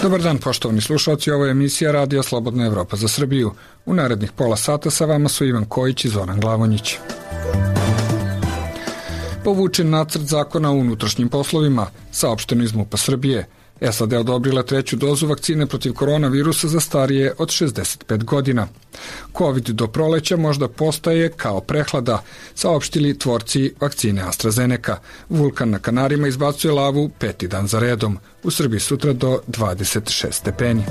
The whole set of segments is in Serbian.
Dobar dan, poštovani slušalci, ovo je emisija Radija Slobodna Evropa za Srbiju. U narednih pola sata sa vama su Ivan Kojić i Zoran Glavonjić. Povučen nacrt zakona o unutrašnjim poslovima, saopšteno iz MUP-a Srbije. SAD odobrila 3. dozu vakcine protiv koronavirusa za starije od 65 godina. COVID do proleća možda postaje kao prehlada, saopštili tvorci vakcine AstraZeneca. Vulkan na Kanarima izbacuje lavu 5. dan za redom. U Srbiji sutra do 26 stepeni.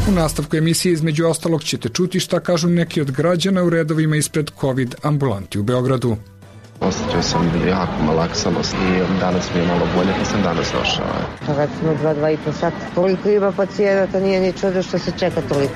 U nastavku emisije između ostalog ćete čuti šta kažu neki od građana u redovima ispred COVID ambulanti u Beogradu. Osjećao sam jako malaksanost i danas mi je malo bolje pa sam danas došao. Već smo 2,5 sata. Koliko ima pacijenata, nije ni čudo što se čeka toliko.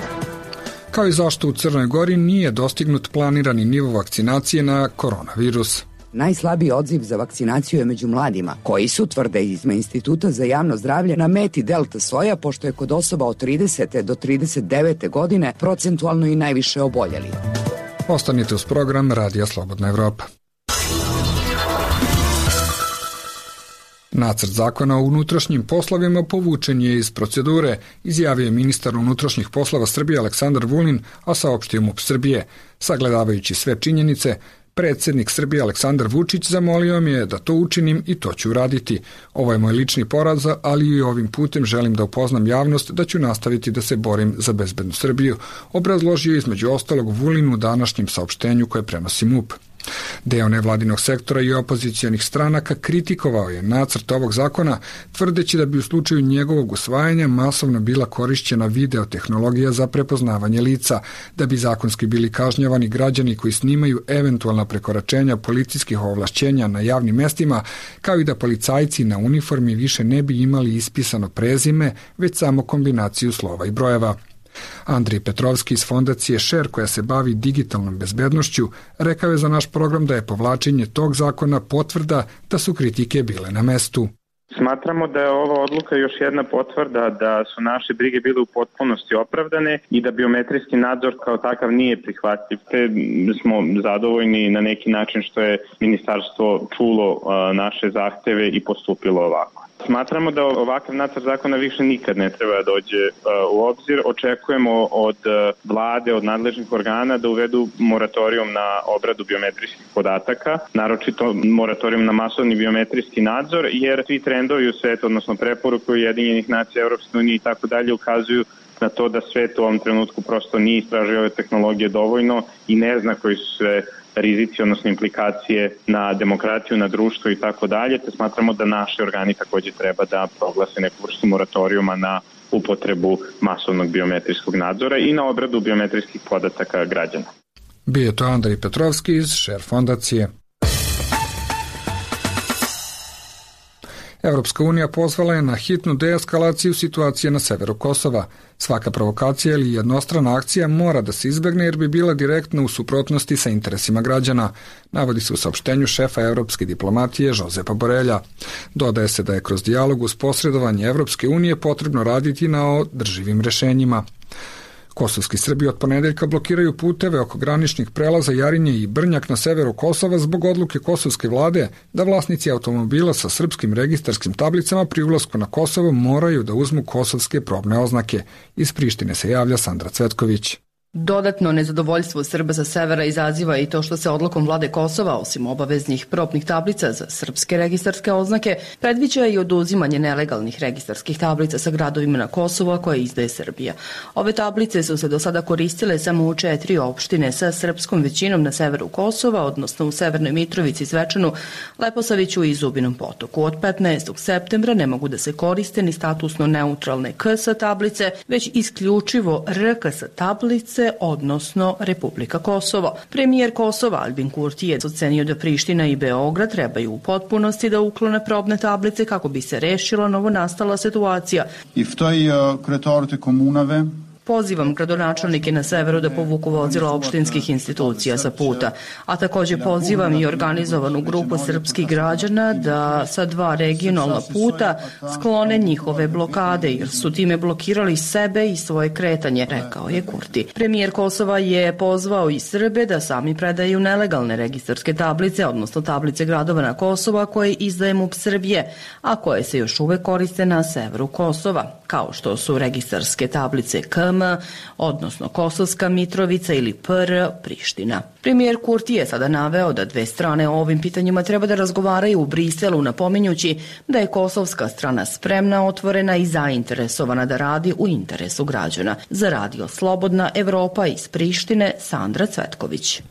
Kao i zašto u Crnoj Gori nije dostignut planirani nivo vakcinacije na koronavirus. Najslabiji odziv za vakcinaciju je među mladima, koji su, tvrde iz Instituta za javno zdravlje, na meti delta soja, pošto je kod osoba od 30. do 39. godine procentualno i najviše oboljeli. Ostanite uz program Radija Slobodna Evropa. Nacrt zakona o unutrašnjim poslovima povučen je iz procedure, izjavio je ministar unutrašnjih poslova Srbije Aleksandar Vulin, a saopštio MUP Srbije. Sagledavajući sve činjenice, predsjednik Srbije Aleksandar Vučić zamolio me je da to učinim i to ću uraditi. Ovo je moj lični poraz, ali i ovim putem želim da upoznam javnost da ću nastaviti da se borim za bezbednu Srbiju, obrazložio između ostalog Vulin u današnjem saopštenju koje prenosi MUP. Deo nevladinog sektora i opozicionih stranaka kritikovao je nacrt ovog zakona, tvrdeći da bi u slučaju njegovog usvajanja masovno bila korišćena videotehnologija za prepoznavanje lica, da bi zakonski bili kažnjavani građani koji snimaju eventualna prekoračenja policijskih ovlašćenja na javnim mestima, kao i da policajci na uniformi više ne bi imali ispisano prezime, već samo kombinaciju slova i brojeva. Andrij Petrovski iz fondacije Share, koja se bavi digitalnom bezbednošću, rekao je za naš program da je povlačenje tog zakona potvrda da su kritike bile na mestu. Smatramo da je ova odluka još jedna potvrda da su naše brige bile u potpunosti opravdane i da biometrijski nadzor kao takav nije prihvatljiv. Te smo zadovoljni na neki način što je ministarstvo čulo naše zahteve i postupilo ovako. Smatramo da ovakav nacrt zakona više nikad ne treba da dođe u obzir. Očekujemo od vlade, od nadležnih organa da uvedu moratorijum na obradu biometrijskih podataka, naročito moratorijum na masovni biometrijski nadzor, jer svi trendovi u svetu, odnosno preporuke Ujedinjenih nacija, Europske unije i tako dalje ukazuju na to da svet u ovom trenutku prosto nije istražio ove tehnologije dovoljno i ne zna koji su sve rizici, odnosno implikacije na demokratiju, na društvo i tako dalje, te smatramo da naši organi takođe treba da proglase neku vrstu moratorijuma na upotrebu masovnog biometrijskog nadzora i na obradu biometrijskih podataka građana. Bio to Andrij Petrovski iz Share fondacije. Evropska unija pozvala je na hitnu deeskalaciju situacije na severu Kosova. Svaka provokacija ili jednostrana akcija mora da se izbegne jer bi bila direktno u suprotnosti sa interesima građana, navodi se u saopštenju šefa evropske diplomatije Josepa Borelja. Dodaje se da je kroz dijalog uz posredovanje Evropske unije potrebno raditi na održivim rešenjima. Kosovski Srbi od ponedeljka blokiraju puteve oko graničnih prelaza Jarinje i Brnjak na severu Kosova zbog odluke kosovske vlade da vlasnici automobila sa srpskim registarskim tablicama pri ulasku na Kosovo moraju da uzmu kosovske probne oznake. Iz Prištine se javlja Sandra Cvetković. Dodatno nezadovoljstvo Srba sa severa izaziva i to što se odlukom vlade Kosova, osim obaveznih probnih tablica za srpske registarske oznake, predviđa i oduzimanje nelegalnih registarskih tablica sa gradovima na Kosovo koje izdaje Srbija. Ove tablice su se do sada koristile samo u 4 opštine sa srpskom većinom na severu Kosova, odnosno u Severnoj Mitrovici, Zvečanu, Leposaviću i Zubinom Potoku. Od 15. septembra ne mogu da se koriste ni statusno neutralne KS tablice, već isključivo RKS tablice, odnosno Republika Kosovo. Premijer Kosova Albin Kurti je ocenio da Priština i Beograd trebaju u potpunosti da uklone probne tablice kako bi se rešila novonastala situacija. I v toj kretorite komunave Pozivam gradonačelnike na severu da povuku vozila opštinskih institucija sa puta, a takođe pozivam i organizovanu grupu srpskih građana da sa 2 regionalna puta sklone njihove blokade, jer su time blokirali sebe i svoje kretanje, rekao je Kurti. Premijer Kosova je pozvao i Srbe da sami predaju nelegalne registarske tablice, odnosno tablice gradova na Kosova koje izdaje MUP Srbije, a koje se još uvek koriste na severu Kosova, kao što su registarske tablice KM, odnosno Kosovska Mitrovica ili PR Priština. Premijer Kurti je sada naveo da 2 strane o ovim pitanjima treba da razgovaraju u Briselu, napominjući da je kosovska strana spremna, otvorena i zainteresovana da radi u interesu građana. Za Radio Slobodna Evropa iz Prištine, Sandra Cvetković.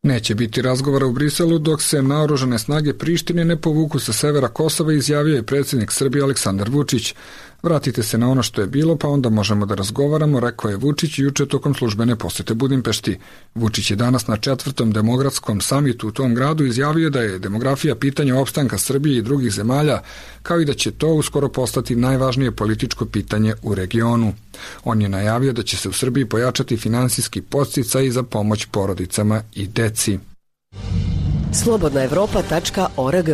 Neće biti razgovora u Briselu dok se naoružane snage Prištine ne povuku sa severa Kosova, izjavio je predsjednik Srbije Aleksandar Vučić. Vratite se na ono što je bilo, pa onda možemo da razgovaramo, rekao je Vučić juče tokom službene posete Budimpešti. Vučić je danas na 4. demografskom samitu u tom gradu izjavio da je demografija pitanje opstanka Srbije i drugih zemalja, kao i da će to uskoro postati najvažnije političko pitanje u regionu. On je najavio da će se u Srbiji pojačati finansijski podsticaj za pomoć porodicama i deci. Slobodnaevropa.org.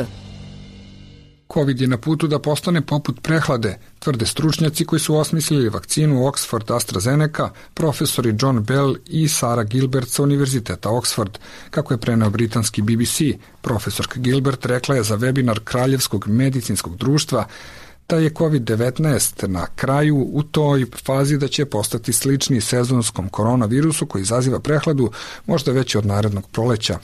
Covid je na putu da postane poput prehlade, tvrde stručnjaci koji su osmislili vakcinu Oxford AstraZeneca, profesori John Bell i Sarah Gilbert sa Univerziteta Oxford. Kako je preneo britanski BBC, profesorka Gilbert rekla je za webinar Kraljevskog medicinskog društva da je COVID-19 na kraju u toj fazi da će postati slični sezonskom koronavirusu koji izaziva prehladu možda već od narednog proleća.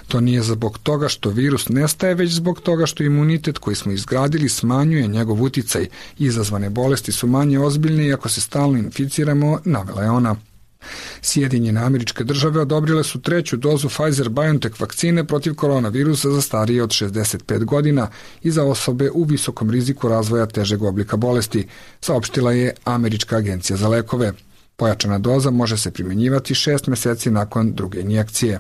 To nije zbog toga što virus nestaje, već zbog toga što imunitet koji smo izgradili smanjuje njegov uticaj. Izazvane bolesti su manje ozbiljne i ako se stalno inficiramo, navela je ona. Sjedinjene Američke Države odobrile su 3. dozu Pfizer-BioNTech vakcine protiv koronavirusa za starije od 65 godina i za osobe u visokom riziku razvoja težeg oblika bolesti, saopštila je Američka agencija za lekove. Pojačana doza može se primjenjivati 6 meseci nakon druge injekcije.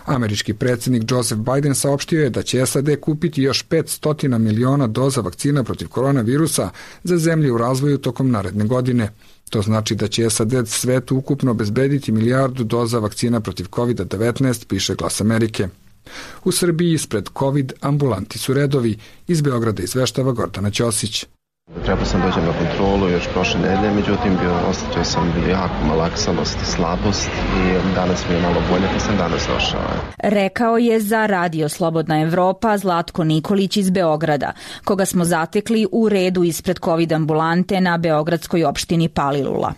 Američki predsjednik Joseph Biden saopštio je da će SAD kupiti još 500 miliona doza vakcina protiv koronavirusa za zemlje u razvoju tokom naredne godine. To znači da će SAD svetu ukupno obezbediti 1 milijardu doza vakcina protiv COVID-19, piše Glas Amerike. U Srbiji ispred COVID ambulanti su redovi. Iz Beograda izveštava Gordana Ćosić. Trebao sam dođem na kontrolu još prošle nedelje, međutim osjetio sam jako malaksanost i slabost i danas mi je malo bolje, pa sam danas došao. Rekao je za Radio Slobodna Evropa Zlatko Nikolić iz Beograda, koga smo zatekli u redu ispred COVID ambulante na beogradskoj opštini Palilula.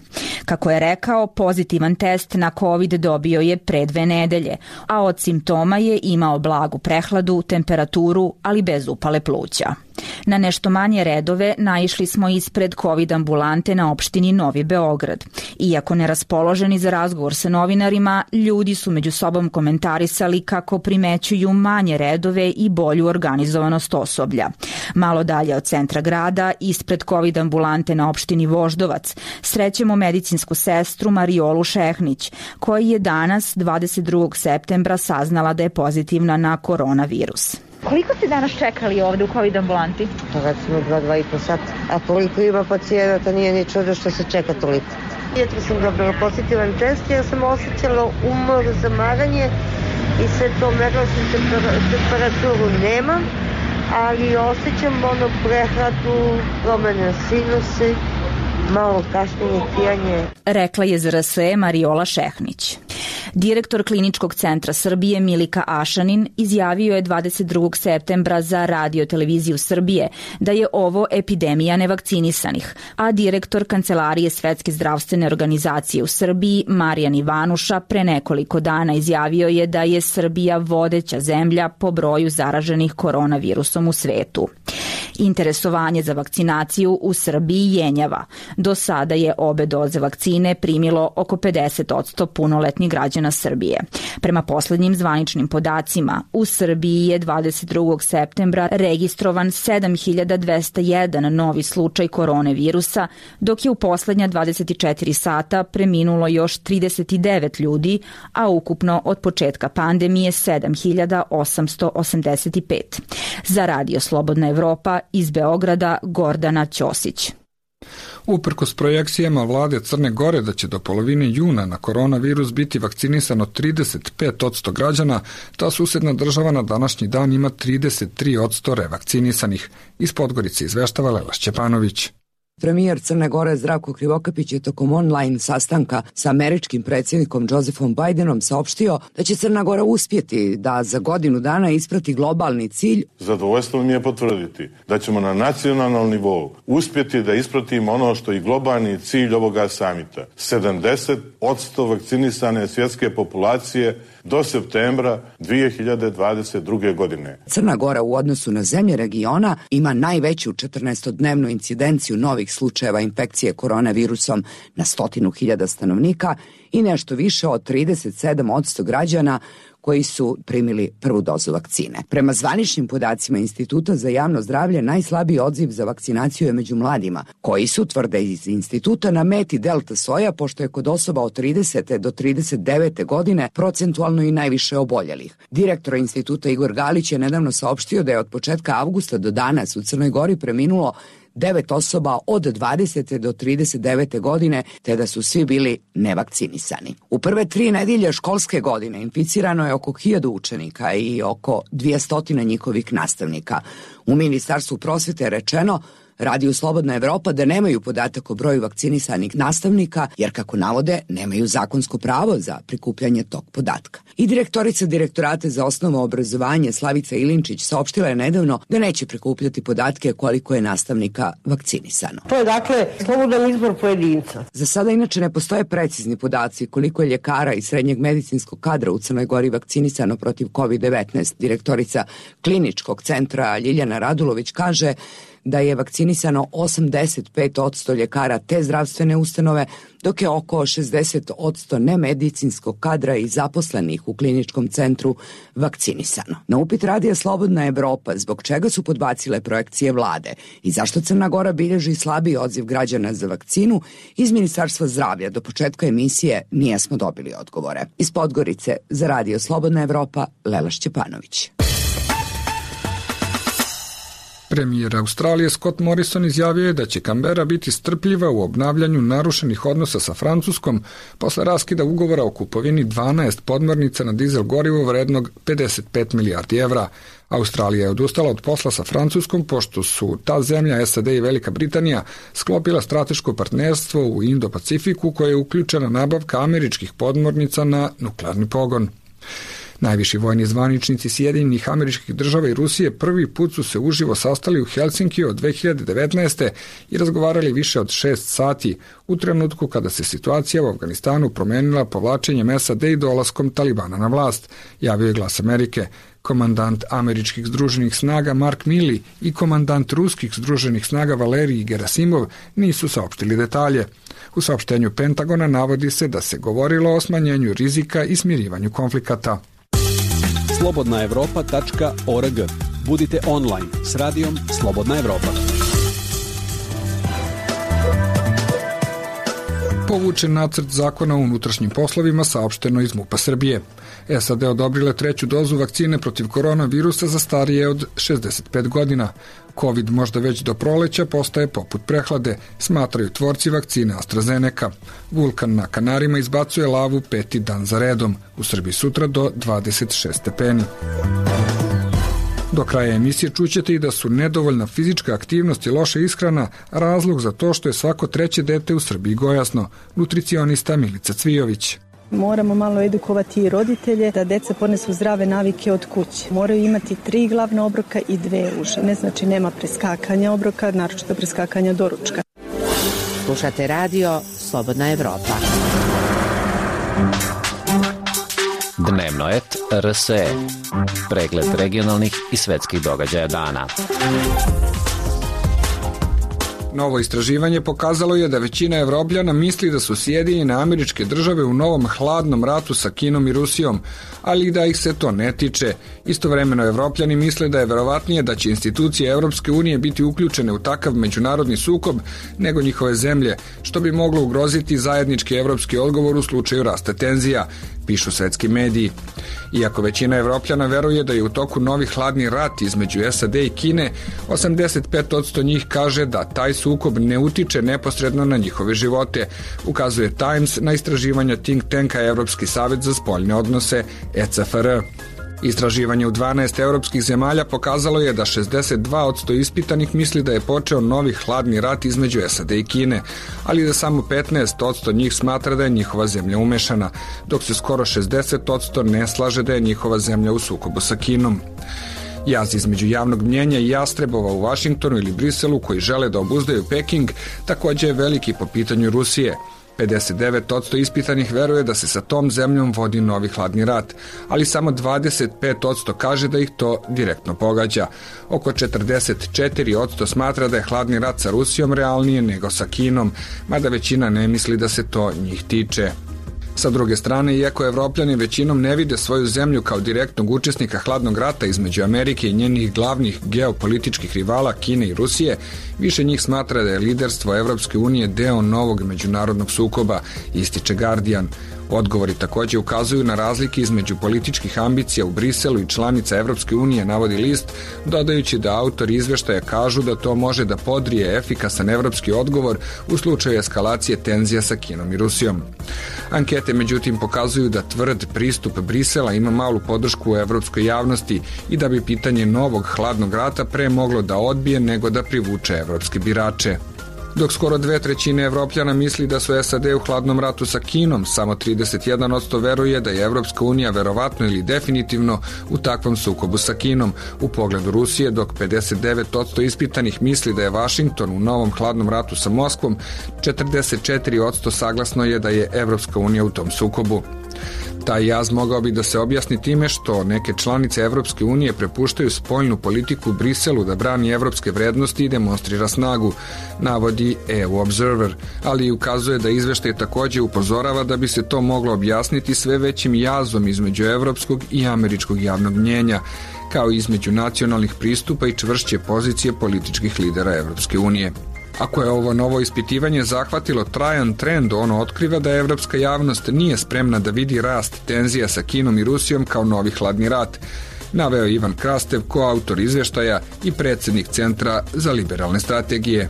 Kako je rekao, pozitivan test na COVID dobio je pre 2 nedelje, a od simptoma je imao blagu prehladu, temperaturu, ali bez upale pluća. Na nešto manje redove naišli smo ispred COVID ambulante na opštini Novi Beograd. Iako neraspoloženi za razgovor sa novinarima, ljudi su među sobom komentarisali kako primećuju manje redove i bolju organizovanost osoblja. Malo dalje od centra grada, ispred COVID ambulante na opštini Voždovac, srećemo medicinsku sestru Mariolu Šehnić, koja je danas, 22. septembra, saznala da je pozitivna na koronavirus. Koliko ste danas čekali ovde u COVID ambulanti? Recimo 2,5 sata. A koliko ima pacijenata, nije ni čudo što se čeka toliko. Jutro sam dobila pozitivan test, ja sam osjećala umor, zamaranje i sve to, merila sam temperaturu nemam, ali osjećam prehladu, promene sinusi, malo kašnjenje, tijanje. Rekla je ZRS Mariola Šehnić. Direktor Kliničkog centra Srbije Milika Ašanin izjavio je 22. septembra za Radio televiziju Srbije da je ovo epidemija nevakcinisanih, a direktor Kancelarije Svetske zdravstvene organizacije u Srbiji Marijan Ivanuša pre nekoliko dana izjavio je da je Srbija vodeća zemlja po broju zaraženih koronavirusom u svetu. Interesovanje za vakcinaciju u Srbiji jenjava. Do sada je obe doze vakcine primilo oko 50% punoletnih građana Srbije. Prema poslednjim zvaničnim podacima, u Srbiji je 22. septembra registrovan 7201 novi slučaj koronavirusa, dok je u poslednja 24 sata preminulo još 39 ljudi, a ukupno od početka pandemije 7885. Za Radio Slobodna Evropa iz Beograda Gordana Ćosić. Uprkos projekcijama vlade Crne Gore da će do polovine juna na koronavirus biti vakcinisano 35% građana, ta susedna država na današnji dan ima 33% revakcinisanih. Iz Podgorice izveštava Lela Šćepanović. Premijer Crne Gore Zdravko Krivokapić je tokom online sastanka sa američkim predsjednikom Josephom Bidenom saopštio da će Crna Gora uspjeti da za godinu dana isprati globalni cilj. Zadovoljstvo mi je potvrditi da ćemo na nacionalnom nivou uspjeti da ispratimo ono što je globalni cilj ovoga samita. 70% vakcinisane svjetske populacije do septembra 2022. godine. Crna Gora u odnosu na zemlje regiona ima najveću 14-dnevnu incidenciju novih slučajeva infekcije koronavirusom na 100.000 stanovnika i nešto više od 37% građana koji su primili prvu dozu vakcine. Prema zvaničnim podacima Instituta za javno zdravlje, najslabiji odziv za vakcinaciju je među mladima, koji su, tvrde iz instituta, na meti delta soja, pošto je kod osoba od 30. do 39. godine procentualno i najviše oboljelih. Direktor instituta Igor Galić je nedavno saopštio da je od početka avgusta do danas u Crnoj Gori preminulo 9 osoba od 20. do 39. godine, te da su svi bili nevakcinisani. U prve 3 nedelje školske godine inficirano je oko 1000 učenika i oko 200 njihovih nastavnika. U Ministarstvu prosvete je rečeno Radiju Slobodna Evropa da nemaju podatak o broju vakcinisanih nastavnika, jer kako navode, nemaju zakonsko pravo za prikupljanje tog podatka. I direktorica Direktorata za osnovno obrazovanje Slavica Ilinčić saopštila je nedavno da neće prikupljati podatke koliko je nastavnika vakcinisano. To je dakle slobodan izbor pojedinca. Za sada inače ne postoje precizni podaci koliko je ljekara i srednjeg medicinskog kadra u Crnoj Gori vakcinisano protiv COVID-19. Direktorica Kliničkog centra Ljiljana Radulović kaže da je vakcinisano 85% ljekara te zdravstvene ustanove, dok je oko 60% nemedicinskog kadra i zaposlenih u kliničkom centru vakcinisano. Na upit Radija Slobodna Evropa zbog čega su podbacile projekcije vlade i zašto Crna Gora bilježi slabiji odziv građana za vakcinu, iz Ministarstva zdravlja do početka emisije nismo dobili odgovore. Iz Podgorice za Radio Slobodna Evropa, Lela Šćepanović. Premijer Australije Scott Morrison izjavio je da će Kambera biti strpljiva u obnavljanju narušenih odnosa sa Francuskom posle raskida ugovora o kupovini 12 podmornica na dizel gorivo vrednog 55 milijardi evra. Australija je odustala od posla sa Francuskom pošto su ta zemlja, SAD i Velika Britanija sklopila strateško partnerstvo u Indo-Pacifiku koje je uključena nabavka američkih podmornica na nuklearni pogon. Najviši vojni zvaničnici Sjedinjenih Američkih Država i Rusije prvi put su se uživo sastali u Helsinkiju od 2019. i razgovarali više od 6 sati u trenutku kada se situacija u Afganistanu promenila povlačenjem SAD i dolaskom Talibana na vlast, javio je Glas Amerike. Komandant američkih združenih snaga Mark Milley i komandant ruskih združenih snaga Valerij Gerasimov nisu saopštili detalje. U saopštenju Pentagona navodi se da se govorilo o smanjenju rizika i smirivanju konflikata. slobodnaevropa.org. Budite online s radijom Slobodna Evropa. Povučen nacrt zakona o unutrašnjim poslovima, saopšteno iz MUP-a Srbije. SAD odobrile 3. dozu vakcine protiv koronavirusa za starije od 65 godina. COVID možda već do proleća postaje poput prehlade, smatraju tvorci vakcine AstraZeneca. Vulkan na Kanarima izbacuje lavu 5. dan za redom. U Srbiji sutra do 26 stepeni. Do kraja emisije čućete i da su nedovoljna fizička aktivnost i loša ishrana razlog za to što je svako 3. dete u Srbiji gojasno. Nutricionista Milica Cvijović. Moramo malo edukovati i roditelje da deca ponesu zdrave navike od kuće. Moraju imati 3 glavna obroka i 2 uže. Ne znači nema preskakanja obroka, naročito preskakanja doručka. Slušate radio Slobodna Evropa. Dnevno et RSE. Pregled regionalnih i svetskih događaja dana. Novo istraživanje pokazalo je da većina Evropljana misli da su Sjedinjene Američke Države u novom hladnom ratu sa Kinom i Rusijom, ali da ih se to ne tiče. Istovremeno Evropljani misle da je verovatnije da će institucije Evropske unije biti uključene u takav međunarodni sukob nego njihove zemlje, što bi moglo ugroziti zajednički evropski odgovor u slučaju rasta tenzija. pišu svetski mediji. Iako većina Evropljana veruje da je u toku novi hladni rat između SAD i Kine, 85% njih kaže da taj sukob ne utiče neposredno na njihove živote, ukazuje Times na istraživanja think tanka Evropski savet za spoljne odnose ECFR. Istraživanje u 12 evropskih zemalja pokazalo je da 62% ispitanih misli da je počeo novi hladni rat između SAD i Kine, ali da samo 15% njih smatra da je njihova zemlja umešana, dok se skoro 60% ne slaže da je njihova zemlja u sukobu sa Kinom. Jaz između javnog mnjenja i jastrebova u Vašingtonu ili Briselu koji žele da obuzdaju Peking takođe je veliki po pitanju Rusije. 59% ispitanih veruje da se sa tom zemljom vodi novi hladni rat, ali samo 25% kaže da ih to direktno pogađa. Oko 44% smatra da je hladni rat sa Rusijom realnije nego sa Kinom, mada većina ne misli da se to njih tiče. Sa druge strane, iako Evropljani većinom ne vide svoju zemlju kao direktnog učesnika hladnog rata između Amerike i njenih glavnih geopolitičkih rivala Kine i Rusije, više njih smatra da je liderstvo Evropske unije deo novog međunarodnog sukoba, ističe Guardian. Odgovori takođe ukazuju na razlike između političkih ambicija u Briselu i članica Evropske unije, navodi list, dodajući da autori izveštaja kažu da to može da podrije efikasan evropski odgovor u slučaju eskalacije tenzija sa Kinom i Rusijom. Ankete međutim pokazuju da tvrd pristup Brisela ima malu podršku u evropskoj javnosti i da bi pitanje novog hladnog rata pre moglo da odbije nego da privuče evropske birače. Dok skoro 2/3 Evropljana misli da su SAD u hladnom ratu sa Kinom, samo 31% veruje da je Evropska unija verovatno ili definitivno u takvom sukobu sa Kinom u pogledu Rusije, dok 59% ispitanih misli da je Vašington u novom hladnom ratu sa Moskvom, 44% saglasno je da je Evropska unija u tom sukobu. Taj jaz mogao bi da se objasni time što neke članice Evropske unije prepuštaju spoljnu politiku Briselu da brani evropske vrednosti i demonstrira snagu, navodi EU Observer, ali i ukazuje da izveštaj takođe upozorava da bi se to moglo objasniti sve većim jazom između evropskog i američkog javnog mnjenja, kao i između nacionalnih pristupa i čvršće pozicije političkih lidera Evropske unije. Ako je ovo novo ispitivanje zahvatilo trajan trend, ono otkriva da evropska javnost nije spremna da vidi rast tenzija sa Kinom i Rusijom kao novi hladni rat, naveo Ivan Krastev, koautor izveštaja i predsednik Centra za liberalne strategije.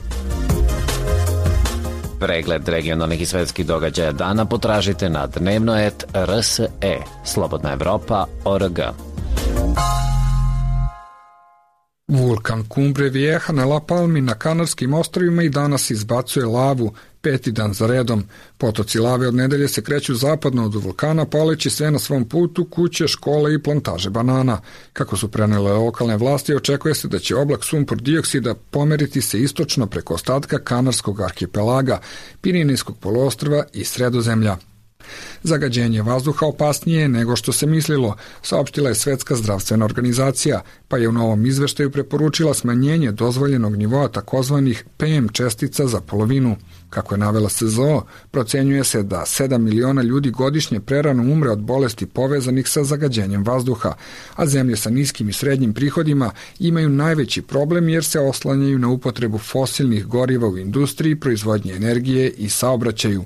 Pregled regionalnih i svetskih događaja dana potražite na dnevnoet.rse, slobodnaevropa.org. Vulkan Cumbre Vieja na La Palmi na Kanarskim ostrvima i danas izbacuje lavu 5. dan za redom. Potoci lave od nedelje se kreću zapadno od vulkana, paleći sve na svom putu kuće, škole i plantaže banana. Kako su prenele lokalne vlasti, očekuje se da će oblak sumpor dioksida pomeriti se istočno preko ostatka Kanarskog arhipelaga, Pirinejskog poluostrva i Sredozemlja. Zagađenje vazduha opasnije je nego što se mislilo, saopštila je Svetska zdravstvena organizacija, pa je u novom izveštaju preporučila smanjenje dozvoljenog nivoa takozvanih PM čestica za polovinu. Kako je navela SZO, procenjuje se da 7 miliona ljudi godišnje prerano umre od bolesti povezanih sa zagađenjem vazduha, a zemlje sa niskim i srednjim prihodima imaju najveći problem jer se oslanjaju na upotrebu fosilnih goriva u industriji, proizvodnje energije i saobraćaju.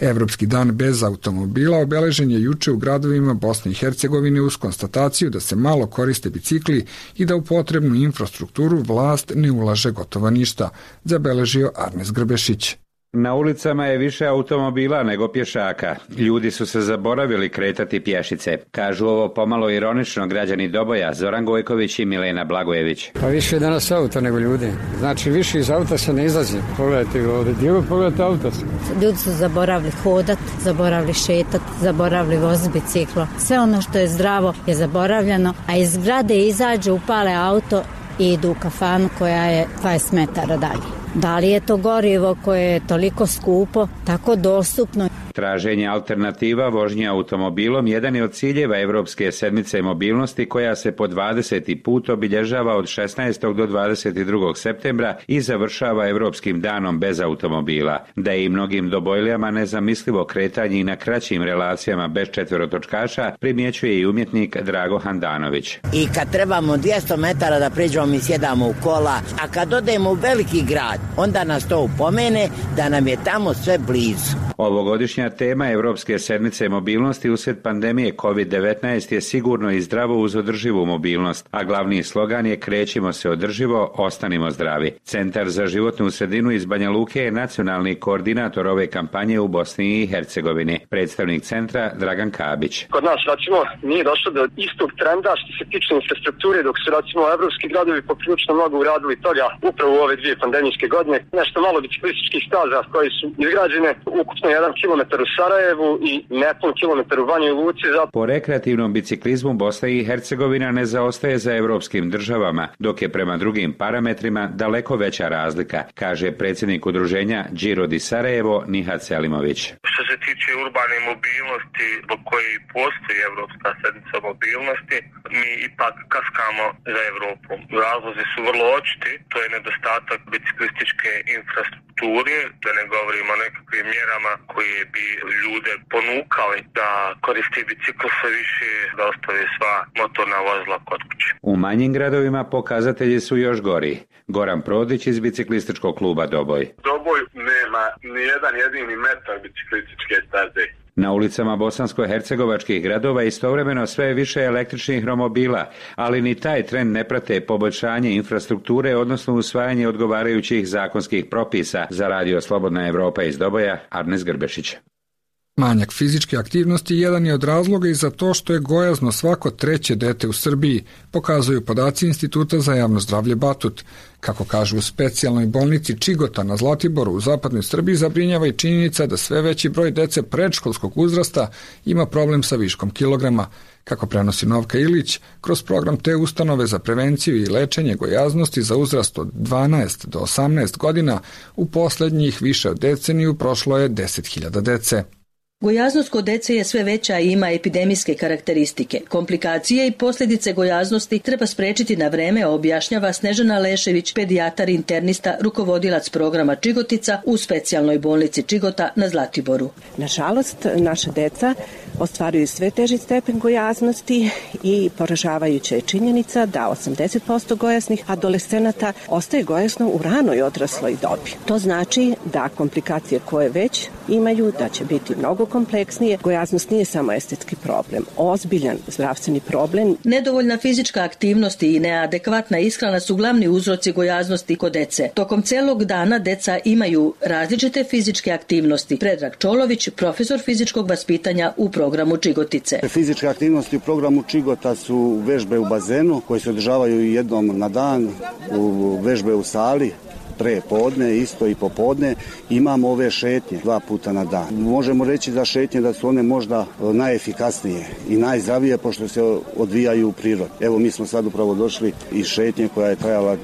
Evropski dan bez automobila obeležen je juče u gradovima Bosne i Hercegovine uz konstataciju da se malo koriste bicikli i da u potrebnu infrastrukturu vlast ne ulaže gotovo ništa, zabeležio Arnes Grbešić. Na ulicama je više automobila nego pješaka. Ljudi su se zaboravili kretati pješice. Kažu ovo pomalo ironično građani Doboja, Zoran Gojković i Milena Blagojević. Pa više je danas auta nego ljudi. Znači više iz auta se ne izlazi. Pogledajte ga ovdje. Gdje pogledajte auta? Ljudi su zaboravili hodat, zaboravili šetat, zaboravili voziti biciklo. Sve ono što je zdravo je zaboravljeno, a iz zgrade izađu, upale auto i idu u kafanu koja je 20 metara dalje. Da li je to gorivo koje je toliko skupo, tako dostupno? Traženje alternativa vožnje automobilom jedan je od ciljeva Evropske sedmice mobilnosti koja se po 20. put obilježava od 16. do 22. septembra i završava Evropskim danom bez automobila. Da je i mnogim Dobojlijama nezamislivo kretanje i na kraćim relacijama bez četverotočkaša, primjećuje i umjetnik Drago Handanović. I kad trebamo 200 metara da priđemo, mi sjedamo u kola, a kad odemo u veliki grad, grad. Onda nas to upomene da nam je tamo sve blizu. Ovogodišnja tema Evropske sedmice mobilnosti usred pandemije COVID-19 je sigurno i zdravo uz održivu mobilnost, a glavni slogan je krećimo se održivo, ostanimo zdravi. Centar za životnu sredinu iz Banja Luke je nacionalni koordinator ove kampanje u Bosni i Hercegovini. Predstavnik centra Dragan Kabić. Kod nas, recimo, nije došlo do istog trenda što se tiče infrastrukture, dok su, recimo, evropski gradovi poprilično mnogo uradili toga upravo u ove dvije pandemijske godine. Nešto malo biciklističkih staza koje su izgrađene, ukupno 1 kilometar u Sarajevu i nepun kilometar u Banjoj Luci. Po rekreativnom biciklizmu Bosna i Hercegovina ne zaostaje za evropskim državama, dok je prema drugim parametrima daleko veća razlika, kaže predsjednik udruženja Giro di Sarajevo Nihat Selimović. Što se tiče urbane mobilnosti, zbog koje postoji Evropska sedmica mobilnosti, mi ipak kaskamo za Evropom. Razlozi su vrlo očiti, to je nedostatak biciklističke infrastrukture, da ne govorimo o nekakvim mjerama koje bi ljude ponukali da koristi bicikl sve više, da ostave sva motorna vozila kod kuće. U manjim gradovima pokazatelji su još gori. Goran Prodić iz biciklističkog kluba Doboj. Doboj nema ni jedan jedini metar biciklističke staze. Na ulicama bosansko-hercegovačkih gradova istovremeno sve je više električnih romobila, ali ni taj trend ne prate poboljšanje infrastrukture, odnosno usvajanje odgovarajućih zakonskih propisa. Za Radio Slobodna Evropa iz Doboja, Arnes Grbešić. Manjak fizičke aktivnosti jedan je od razloga i za to što je gojazno svako 3. dete u Srbiji, pokazuju podaci Instituta za javno zdravlje Batut. Kako kažu u specijalnoj bolnici Čigota na Zlatiboru u zapadnoj Srbiji, zabrinjava i činjenica da sve veći broj dece predškolskog uzrasta ima problem sa viškom kilograma. Kako prenosi Novka Ilić, kroz program te ustanove za prevenciju i lečenje gojaznosti za uzrast od 12 do 18 godina, u poslednjih više od deceniju prošlo je 10.000 dece. Gojaznost kod dece je sve veća i ima epidemijske karakteristike. Komplikacije i posljedice gojaznosti treba sprečiti na vreme, objašnjava Snežana Lešević, pedijatar internista, rukovodilac programa Čigotica u specijalnoj bolnici Čigota na Zlatiboru. Nažalost, naša deca ostvaruju sve teži stepen gojaznosti i poražavajuća je činjenica da 80% gojaznih adolescenata ostaje gojazno u ranoj odrasloj dobi. To znači da komplikacije koje već imaju, da će biti mnogo kompleksnije. Gojaznost nije samo estetski problem, ozbiljan zdravstveni problem. Nedovoljna fizička aktivnost i neadekvatna ishrana su glavni uzroci gojaznosti kod dece. Tokom celog dana deca imaju različite fizičke aktivnosti. Predrag Čolović, profesor fizičkog vaspitanja u programu Čigotice. Fizičke aktivnosti u programu Čigota su vežbe u bazenu koje se održavaju jednom na dan, vežbe u sali, pre podne, isto i popodne. Imamo ove šetnje 2 puta na dan. Možemo reći da šetnje da su one možda najefikasnije i najzdravije pošto se odvijaju u prirodi. Evo mi smo sad upravo došli iz šetnje koja je trajala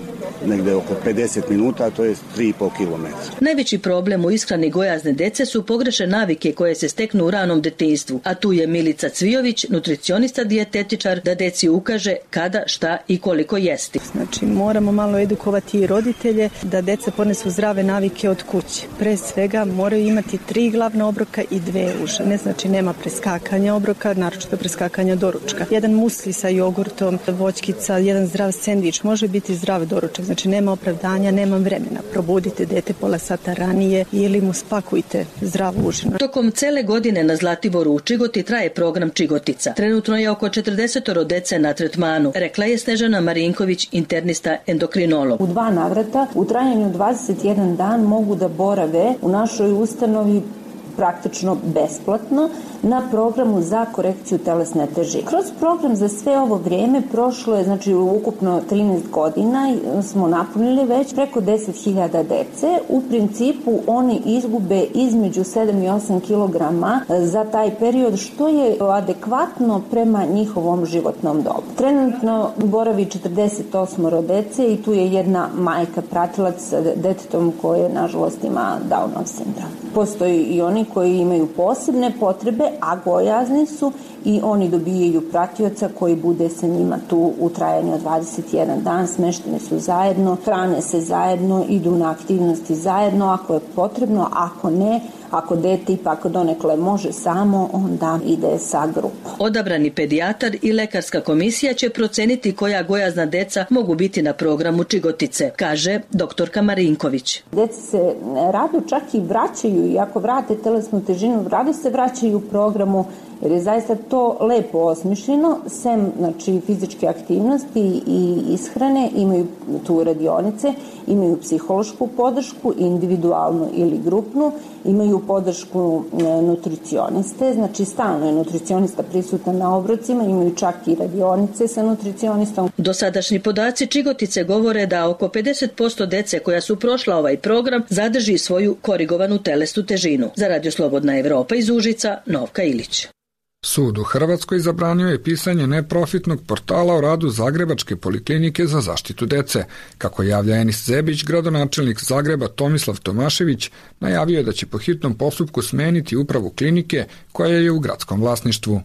negde oko 50 minuta, to je 3,5 km. Najveći problem u ishrani gojazne dece su pogrešne navike koje se steknu u ranom detinjstvu, a tu je Milica Cvijović, nutricionista dijetetičar, da deci ukaže kada, šta i koliko jesti. Znači moramo malo edukovati i roditelje da deca ponesu zdrave navike od kuće. Pre svega moraju imati 3 glavna obroka i 2 uže. Ne znači nema preskakanja obroka, naročito preskakanja doručka. Jedan musli sa jogurtom, voćkica, jedan zdrav sendvič, može biti zdrav doručak. Znači nema opravdanja, nemam vremena. Probudite dete pola sata ranije ili mu spakujte zdravu užinu. Tokom cele godine na Zlatiboru u Čigoti traje program Čigotica. Trenutno je oko 40 dece na tretmanu, rekla je Snežana Marinković, internista endokrinolog. U 2 navrata u trajanju 21 dan mogu da borave u našoj ustanovi praktično besplatno na programu za korekciju telesne težine. Kroz program za sve ovo vrijeme prošlo je, znači ukupno 13 godina, smo napunili već preko 10.000 dece. U principu oni izgube između 7 i 8 kilograma za taj period, što je adekvatno prema njihovom životnom dobu. Trenutno boravi 48 dece i tu je jedna majka pratilac sa detetom koje nažalost ima Downov sindrom. Postoji i oni koji imaju posebne potrebe, a gojazni su, i oni dobijaju pratioca koji bude sa njima tu u trajanju od 21 dan, smešteni su zajedno, hrane se zajedno, idu na aktivnosti zajedno ako je potrebno, ako ne, ako dete ipak donekle može samo, onda ide sa grupom. Odabrani pedijatar i lekarska komisija će proceniti koja gojazna deca mogu biti na programu Čigotice, kaže doktorka Marinković. Deca se rado čak i vraćaju, i ako vrate telesnu težinu, rado se vraćaju u programu, jer je zaista to lepo osmišljeno, sem fizičke aktivnosti i ishrane, imaju tu radionice, imaju psihološku podršku, individualnu ili grupnu, imaju podršku nutricioniste, znači stalno je nutricionista prisutan na obrocima, imaju čak i radionice sa nutricionistom. Dosadašnji podaci Čigotice govore da oko 50% dece koja su prošla ovaj program zadrži svoju korigovanu telesnu težinu. Za Radio Slobodna Evropa iz Užica, Novka Ilić. Sud u Hrvatskoj zabranio je pisanje neprofitnog portala o radu Zagrebačke poliklinike za zaštitu dece. Kako javlja Enis Zebić, gradonačelnik Zagreba Tomislav Tomašević najavio je da će po hitnom postupku smeniti upravu klinike koja je u gradskom vlasništvu.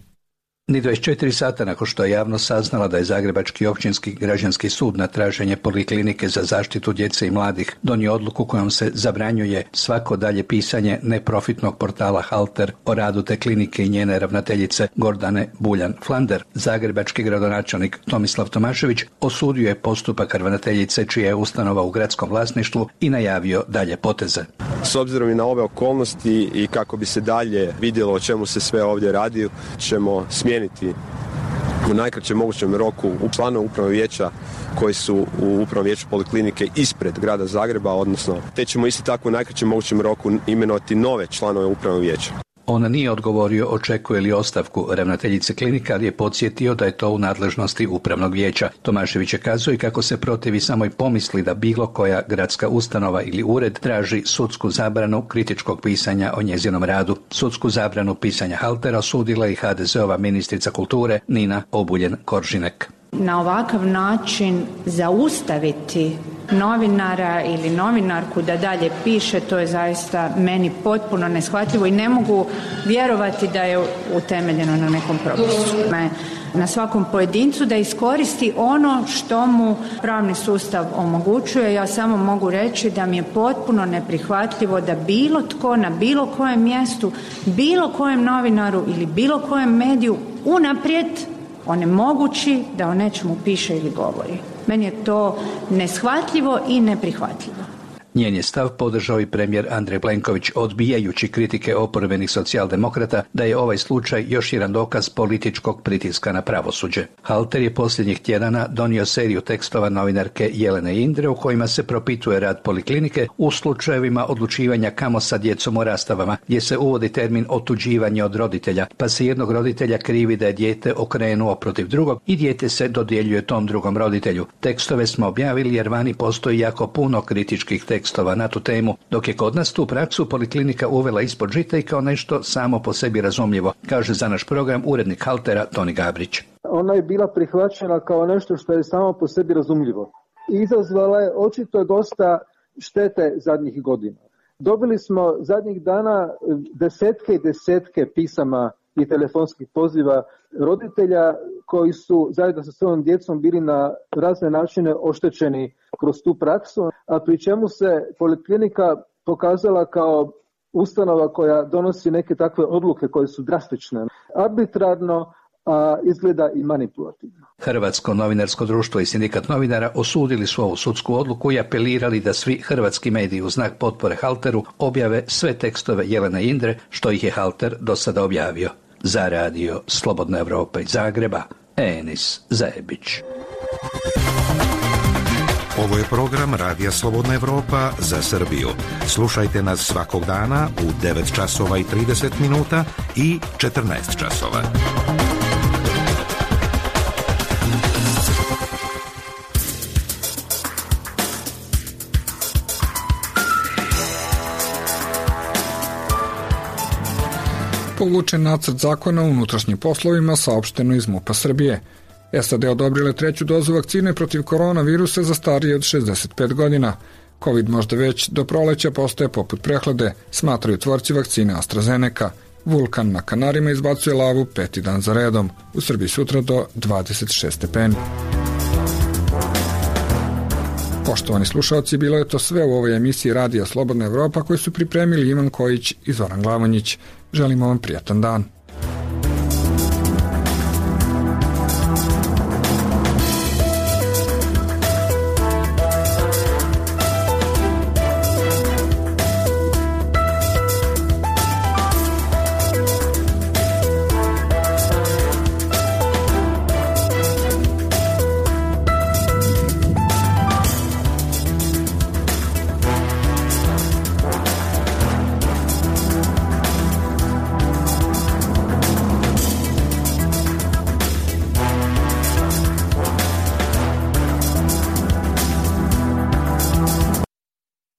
Ni 24 sata nakon što je javnost saznala da je Zagrebački općinski građanski sud na traženje Poliklinike za zaštitu djece i mladih donio odluku kojom se zabranjuje svako dalje pisanje neprofitnog portala Halter o radu te klinike i njene ravnateljice Gordane Buljan-Flander, zagrebački gradonačelnik Tomislav Tomašević osudio je postupak ravnateljice čija je ustanova u gradskom vlasništvu i najavio dalje poteze. S obzirom i na ove okolnosti i kako bi se dalje vidjelo o čemu se sve ovdje radi, ćemo smijeniti u najkraćem mogućem roku članove upravnog vijeća koji su u upravnom vijeću Poliklinike ispred grada Zagreba, odnosno te ćemo isto tako u najkraćem mogućem roku imenovati nove članove upravnog vijeća. On nije odgovorio očekuje li ostavku ravnateljice klinika, ali je podsjetio da je to u nadležnosti upravnog vijeća. Tomašević je kazao i kako se protivi samoj pomisli da bilo koja gradska ustanova ili ured traži sudsku zabranu kritičkog pisanja o njezinom radu. Sudsku zabranu pisanja Haltera osudila i HDZ-ova ministrica kulture Nina Obuljen-Koržinek. Na ovakav način zaustaviti novinara ili novinarku da dalje piše, to je zaista meni potpuno neshvatljivo i ne mogu vjerovati da je utemeljeno na nekom propisu. Na svakom pojedincu da iskoristi ono što mu pravni sustav omogućuje. Ja samo mogu reći da mi je potpuno neprihvatljivo da bilo tko na bilo kojem mjestu, bilo kojem novinaru ili bilo kojem mediju unaprijed onemogući da o nečemu piše ili govori. Meni je to neshvatljivo i neprihvatljivo. Njen je stav podržao i premijer Andrej Plenković, odbijajući kritike oporbenih socijaldemokrata da je ovaj slučaj još jedan dokaz političkog pritiska na pravosuđe. Halter je posljednjih tjedana donio seriju tekstova novinarke Jelene Indre u kojima se propituje rad Poliklinike u slučajevima odlučivanja kamo sa djecom o rastavama, gdje se uvodi termin otuđivanje od roditelja, pa se jednog roditelja krivi da je dijete okrenuo protiv drugog i dijete se dodjeljuje tom drugom roditelju. Tekstove smo objavili jer vani postoji jako puno kritičkih tekstova na tu temu, dok je kod nas tu praksu Poliklinika uvela ispod žita i kao nešto samo po sebi razumljivo, kaže za naš program urednik Haltera Toni Gabrić. Ona je bila prihvaćena kao nešto što je samo po sebi razumljivo. Izazvala je očito dosta štete zadnjih godina. Dobili smo zadnjih dana desetke i desetke pisama i telefonskih poziva roditelja koji su zajedno sa svojom djecom bili na razne načine oštećeni kroz tu praksu, a pri čemu se Poliklinika pokazala kao ustanova koja donosi neke takve odluke koje su drastične, arbitrarno, a izgleda i manipulativno. Hrvatsko novinarsko društvo i sindikat novinara osudili su ovu sudsku odluku i apelirali da svi hrvatski mediji u znak potpore Halteru objave sve tekstove Jelene Indre, što ih je Halter do sada objavio. Za Radio Slobodna Evropa iz Zagreba, Enis Zebić. Ovo je program Radija Slobodna Evropa za Srbiju. Slušajte nas svakog dana u 9 časova i 30 minuta i 14 časova. Povučen nacrt zakona o unutrašnjim poslovima, saopšteno iz MUP-a Srbije. SAD odobrile 3. dozu vakcine protiv koronavirusa za starije od 65 godina. Covid možda već do proleća postaje poput prehlade, smatraju tvorci vakcine AstraZeneca. Vulkan na Kanarima izbacuje lavu 5. dan za redom. U Srbiji sutra do 26 stepeni. Poštovani slušalci, bilo je to sve u ovoj emisiji Radija Slobodna Evropa koju su pripremili Ivan Kojić i Zoran Glavonjić. Želimo vam prijatan dan.